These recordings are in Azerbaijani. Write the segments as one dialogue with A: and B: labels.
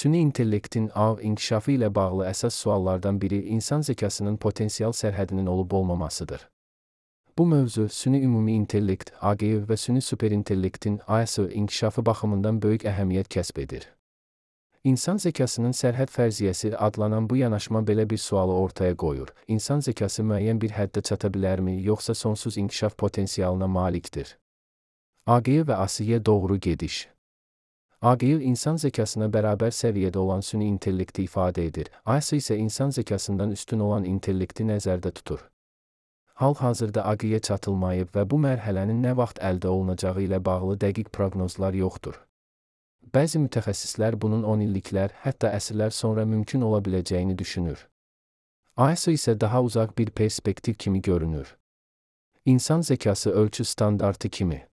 A: Süni intellektin ağ inkişafı ilə bağlı əsas suallardan biri insan zəkasının potensial sərhədinin olub-olmamasıdır. Bu mövzu süni ümumi intellekt (AGI) və süni superintellektin (AS) inkişafı baxımından böyük əhəmiyyət kəsb edir. İnsan zəkasının sərhəd fərziyyəsi adlanan bu yanaşma belə bir sualı ortaya qoyur: İnsan zəkası müəyyən bir həddə çata bilərmi, yoxsa sonsuz inkişaf potensialına malikdir? AGI və ASIyə doğru gediş. AGI insan zəkasına bərabər səviyyədə olan süni intellekti ifadə edir. AS isə insan zəkasından üstün olan intellekti nəzərdə tutur. Hal-hazırda AGI-yə çatılmayıb və bu mərhələnin nə vaxt əldə olunacağı ilə bağlı dəqiq proqnozlar yoxdur. Bəzi mütəxəssislər bunun 10 illiklər, hətta əsrlər sonra mümkün ola biləcəyini düşünür. AS isə daha uzaq bir perspektiv kimi görünür. İnsan zəkası ölçü standartı kimi.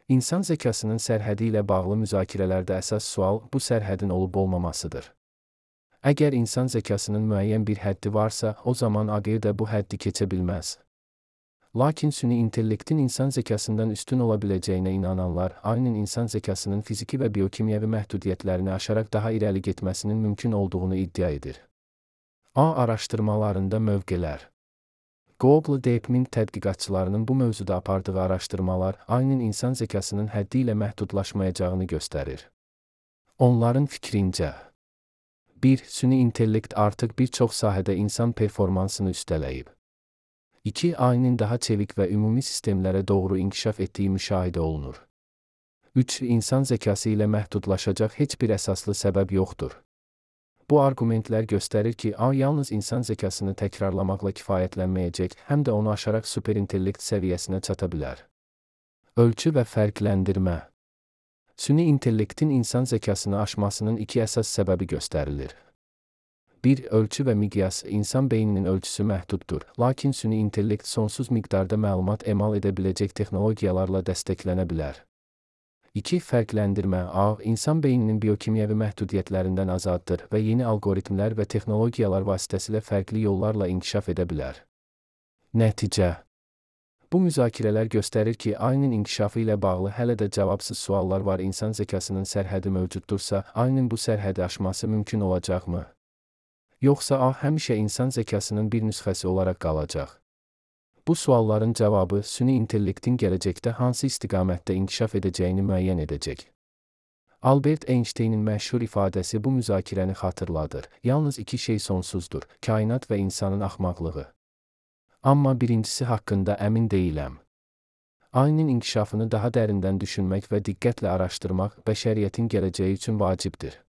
A: İnsan zəkasının sərhədi ilə bağlı müzakirələrdə əsas sual bu sərhədin olub-olmamasıdır. Əgər insan zəkasının müəyyən bir həddi varsa, o zaman AGI də bu həddi keçə bilməz. Lakin süni intellektin insan zəkasından üstün ola biləcəyinə inananlar, AGI-nin insan zəkasının fiziki və biokimyəvi məhdudiyyətlərini aşaraq daha irəli getməsinin mümkün olduğunu iddia edir. A araşdırmalarında mövqelər. Google DeepMind tədqiqatçılarının bu mövzuda apardığı araşdırmalar, AGI-nin insan zəkasının həddi ilə məhdudlaşmayacağını göstərir. Onların fikrincə: 1. Süni intellekt artıq bir çox sahədə insan performansını üstələyib. 2. AGI-nin daha çevik və ümumi sistemlərə doğru inkişaf etdiyi müşahidə olunur. 3. İnsan zəkası ilə məhdudlaşacaq heç bir əsaslı səbəb yoxdur. Bu arqumentlər göstərir ki, AGI yalnız insan zəkasını təkrarlamaqla kifayətlənməyəcək, həm də onu aşaraq superintellekt səviyyəsinə çata bilər. Ölçü və fərqləndirmə. Süni intellektin insan zəkasını aşmasının iki əsas səbəbi göstərilir. 1. Ölçü və miqyas. İnsan beyninin ölçüsü məhduddur, lakin süni intellekt sonsuz miqdarda məlumat emal edə biləcək texnologiyalarla dəstəklənə bilər. 2. Fərqləndirmə. AGI, insan beyninin biokimyəvi məhdudiyyətlərindən azaddır və yeni algoritmlər və texnologiyalar vasitəsilə fərqli yollarla inkişaf edə bilər. Nəticə. Bu müzakirələr göstərir ki, AGI-nin inkişafı ilə bağlı hələ də cavabsız suallar var. İnsan zəkasının sərhədi mövcuddursa, AGI-nin bu sərhədi aşması mümkün olacaqmı? Yoxsa AGI həmişə insan zəkasının bir nüsxəsi olaraq qalacaq? Bu sualların cavabı süni intellektin gələcəkdə hansı istiqamətdə inkişaf edəcəyini müəyyən edəcək. Albert Einstein'in məşhur ifadəsi bu müzakirəni xatırladır: Yalnız iki şey sonsuzdur: kainat və insanın axmaqlığı. Amma birincisi haqqında əmin deyiləm. AGI-nin inkişafını daha dərindən düşünmək və diqqətlə araşdırmaq bəşəriyyətin gələcəyi üçün vacibdir.